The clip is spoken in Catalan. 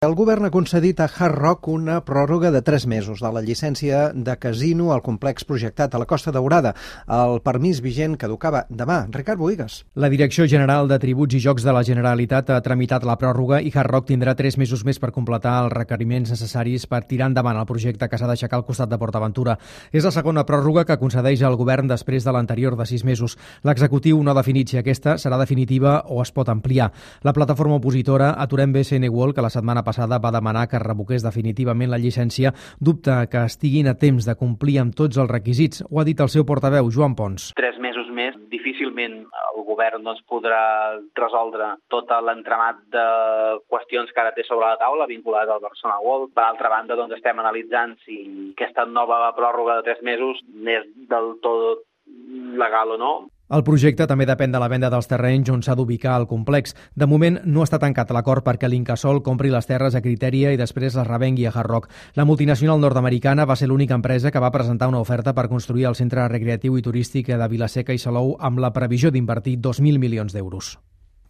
El govern ha concedit a Hard Rock una pròrroga de 3 mesos de la llicència de casino al complex projectat a la Costa Daurada. El permís vigent caducava demà. Ricard Bohigas. La Direcció General de Tributs i Jocs de la Generalitat ha tramitat la pròrroga i Hard Rock tindrà 3 mesos més per completar els requeriments necessaris per tirar endavant el projecte que s'ha d'aixecar al costat de PortAventura. És la segona pròrroga que concedeix el govern després de l'anterior de 6 mesos. L'executiu no ha definit si aquesta serà definitiva o es pot ampliar. La plataforma opositora Aturem BSN World, que la setmana passada va demanar que es revoqués definitivament la llicència, dubta que estiguin a temps de complir amb tots els requisits. Ho ha dit el seu portaveu, Joan Pons. 3 mesos més, difícilment el govern podrà resoldre tot l'entramat de qüestions que ara té sobre la taula vinculades al Barcelona World. Per altra banda, estem analitzant si aquesta nova pròrroga de 3 mesos és del tot legal o no. El projecte també depèn de la venda dels terrenys on s'ha d'ubicar el complex. De moment no està tancat l'acord perquè l'Incasòl compri les terres a Criteria i després les revengui a Hard Rock. La multinacional nord-americana va ser l'única empresa que va presentar una oferta per construir el centre recreatiu i turístic de Vila-seca i Salou amb la previsió d'invertir 2.000 milions d'euros.